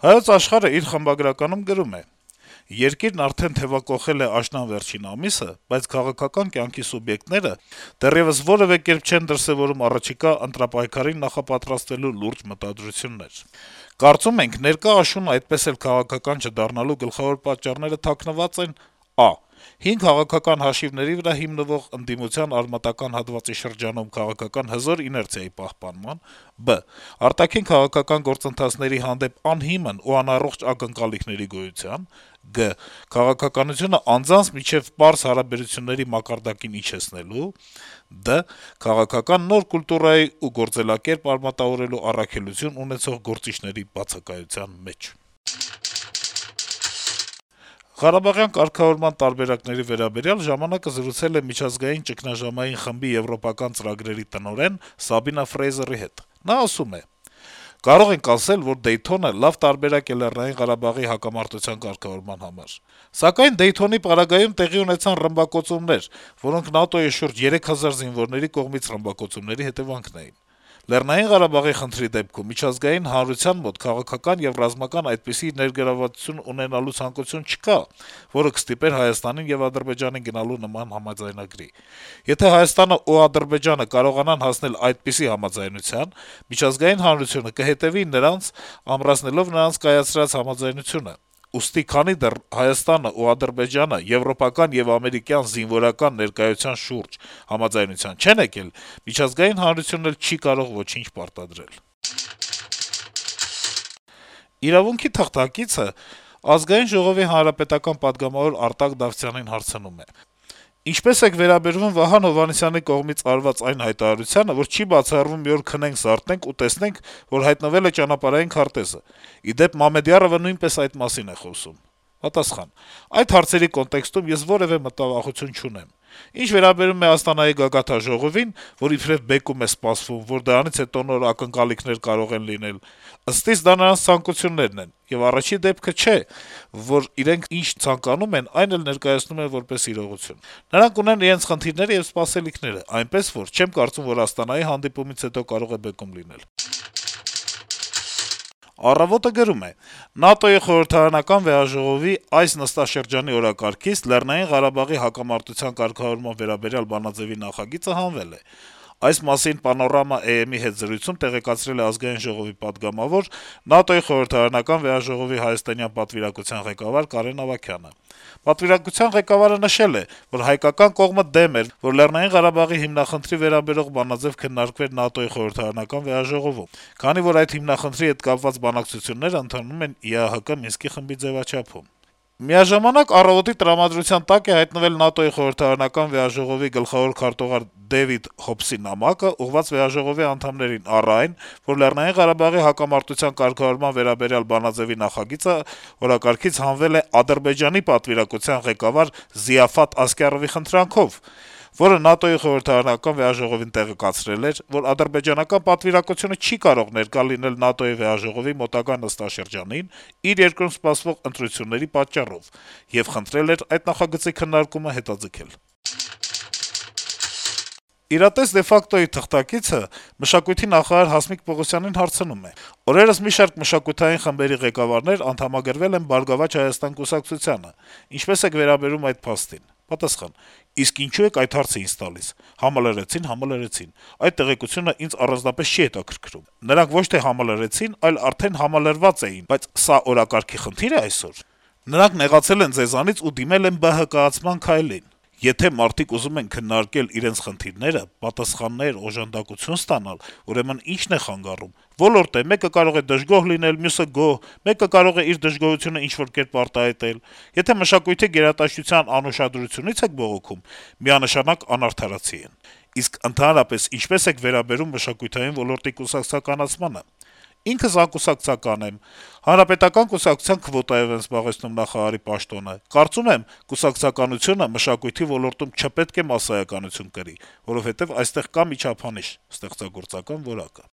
Հայոց աշխարհը իր խմբագրականում գրում է. - «Երկիրն արդեն թեւակոխել է աշնան վերջին ամիսը, բայց քաղաքական կյանքի սուբյեկտները դեռեւս որեւէ կերպ չեն դրսեւորում առաջիկա ընտրապայքարին նախապատրաստվելու լուրջ մտադրություններ։ Կարծում ենք, ներկա աշունը այդպես էլ քաղաքական չդառնալու գլխավոր պատճառները թաքնված են ա. հին քաղաքական հաշիվների վրա հիմնվող ընդդիմության արմատական հատվածի շրջանում քաղաքական հզոր իներցիայի պահպանման, բ. արտաքին քաղաքական գործընթացների հանդեպ անհիմն ու անառողջ ակնկալիքների գոյության, գ. քաղաքականությունը անձանց միջեւ պարզ հարաբերությունների մակարդակին իջեցնելու, դ. քաղաքական նոր կուլտուրայի ու գործելակերպ արմատավորելու առաքելություն ունեցող գործիչների բացակայության մեջ»։ Ղարաբաղյան կարգավորման տարբերակների վերաբերյալ «Ժամանակ»-ը զրուցել է միջազգային ճգնաժամային խմբի եվրոպական ծրագրերի տնօրեն Սաբինա Ֆրեյզերի հետ: Նա ասում է. - «Կարող ենք ասել, որ Դեյթոնը լավ տարբերակ է Լեռնային Ղարաբաղի հակամարտության կարգավորման համար: Սակայն Դեյթոնի պարագայում տեղի ունեցան ռմբակոծումներ, որոնք ՆԱՏՕ-ի շուրջ 3000 զինվորների կողմից ռմբակոծումների հետեւանքն էին: Լեռնային Ղարաբաղի խնդրի դեպքում միջազգային հանրության մոտ քաղաքական եւ ռազմական այդպիսի ներգրավվածություն ունենալու ցանկություն չկա, որը կստիպեր Հայաստանին եւ Ադրբեջանին գնալու նման համաձայնագրի: Եթե Հայաստանն ու Ադրբեջանը կարողանան հասնել այդպիսի համաձայնության, միջազգային հանրությունը կհետեւի նրանց` ամրացնելով նրանց կայացրած համաձայնությունը: Ուստի քանի դեռ Հայաստանն ու Ադրբեջանը եվրոպական եւ ամերիկյան զինվորական ներկայության շուրջ համաձայնության չեն եկել, միջազգային հանրությունն էլ չի կարող ոչինչ պարտադրել»: «Իրավունք»-ի թղթակիցը Ազգային ժողովի հանրապետական պատգամավոր Արտակ Դավթյանին հարցնում է. - «Ինչպե՞ս եք վերաբերվում Վահան Հովհաննիսյանի կողմից արված այն հայտարարությանը, որ չի բացառվում մի օր քնենք, զարթնենք ու տեսնենք, որ հայտնվել է ճանապարհային քարտեզը: Ի դեպ, Մամեդյարովը նույնպես այդ մասին է խոսում»: Պատասխան. - «Այդ հարցերի կոնտեքստում ես որեւէ մտավախություն չունեմ: Ինչ վերաբերում է Աստանայի գագաթնաժողովին, որ իբրեւ բեկում է սպասվում, որ դրանից հետո նոր ակնկալիքներ կարող են լինել, ըստ իս դա նրանց ցանկություններն են, եւ առաջին դեպքը չէ, որ իրենք ինչ ցանկանում են, այն էլ ներկայացնում են որպես իրողություն: Նրանք ունեն իրենց խնդիրները եւ սպասելիքները, այնպես որ չեմ կարծում, որ Աստանայի հանդիպումից հետո կարող է բեկում լինել»: «Առավոտ»-ը գրում է. - «ՆԱՏՕ-ի խորհրդարանական վեհաժողովի այս նստաշրջանի օրակարգից Լեռնային Ղարաբաղի հակամարտության կարգավորման վերաբերյալ բանաձեւի նախագիծը հանվել է: Այս մասին Panorama.am-ի հետ զրույցում տեղեկացրել է Ազգային ժողովի պատգամավոր, ՆԱՏՕ-ի խորհրդարանական վեհաժողովի հայաստանյան պատվիրակության ղեկավար Կարեն Ավագյանը: Պատվիրակության ղեկավարը նշել է, որ հայկական կողմը դեմ էր, որ Լեռնային Ղարաբաղի հիմնախնդրի վերաբերող բանաձեւ քննարկվեր ՆԱՏՕ-ի խորհրդարանական վեհաժողովում, քանի որ այդ հիմնախնդրի հետ կապված բանակցությունները ընթանում են ԵԱՀԿ Մինսկի խմբի ձեւաչափում: Միաժամանակ «Առավոտ»-ի տրամադրության տակ է հայտնվել ՆԱՏՕ-ի խորհրդարանական վեհաժողովի գլխավոր քարտուղար Դեյվիդ Հոբսի նամակը` ուղղված վեհաժողովի անդամներին, առ այն, որ Լեռնային Ղարաբաղի հակամարտության կարգավորման վերաբերյալ բանաձեւի նախագիծը օրակարգից հանվել է Ադրբեջանի պատվիրակության ղեկավար Զիաֆաթ Ասկարովի խնդրանքով, որը ՆԱՏՕ-ի խորհրդարանական վեհաժողովին տեղեկացրել էր, որ ադրբեջանական պատվիրակությունը չի կարող ներկա լինել ՆԱՏՕ-ի վեհաժողովի մոտակա նստաշրջանին իր երկրում սպասվող ընտրությունների պատճառով եւ խնդրել էր այդ նախագծի քննարկումը հետաձգել»: «Իրատես de facto»-ի թղթակիցը մշակույթի նախարար Հասմիկ Պողոսյանին հարցնում է. - «Օրերս մի շարք մշակութային խմբերի ղեկավարներ անդամագրվել են «Բարգավաճ Հայաստան» կուսակցությանը: Ինչպե՞ս եք վերաբերվում այդ փաստին»: Պատասխան. - «Իսկ ինչո՞ւ եք այդ հարցը ինձ տալիս: Համալրեցին: Այդ տեղեկությունն ինձ առանձնապես չի հետաքրքրում: Նրանք ոչ թե համալրեցին, այլ արդեն համալրված էին, բայց սա օրակարգի խնդիր է այսօր: Նրանք նեղացել են ձեզանից ու դիմել են ԲՀԿ-ացման քայլին: Եթե մարդիկ ուզում են քննարկել իրենց խնդիրները, պատասխաններ, օժանդակություն ստանալ, ուրեմն ի՞նչն է խանգարում: Ոլորտ է, մեկը կարող է դժգոհ լինել, մյուսը` գոհ, մեկը կարող է իր դժգոհությունը ինչ-որ կերպ արտահայտել: Եթե մշակույթի գերատեսչության անուշադրությունից եք բողոքում, միանշանակ անարդարացի են: Իսկ ընդհանրապես ինչպե՞ս եք վերաբերվում մշակութային ոլորտի կուսակցականացմանը: Ինքս անկուսակցական եմ: Հանրապետական կուսակցության քվոտայով եմ զբաղեցնում նախարարի պաշտոնը: Կարծում եմ` կուսակցականությունը մշակույթի ոլորտում չպետք է մասսայականություն կրի, որովհետեւ այստեղ կա մի չափանիշ` ստեղծագործական որակը»: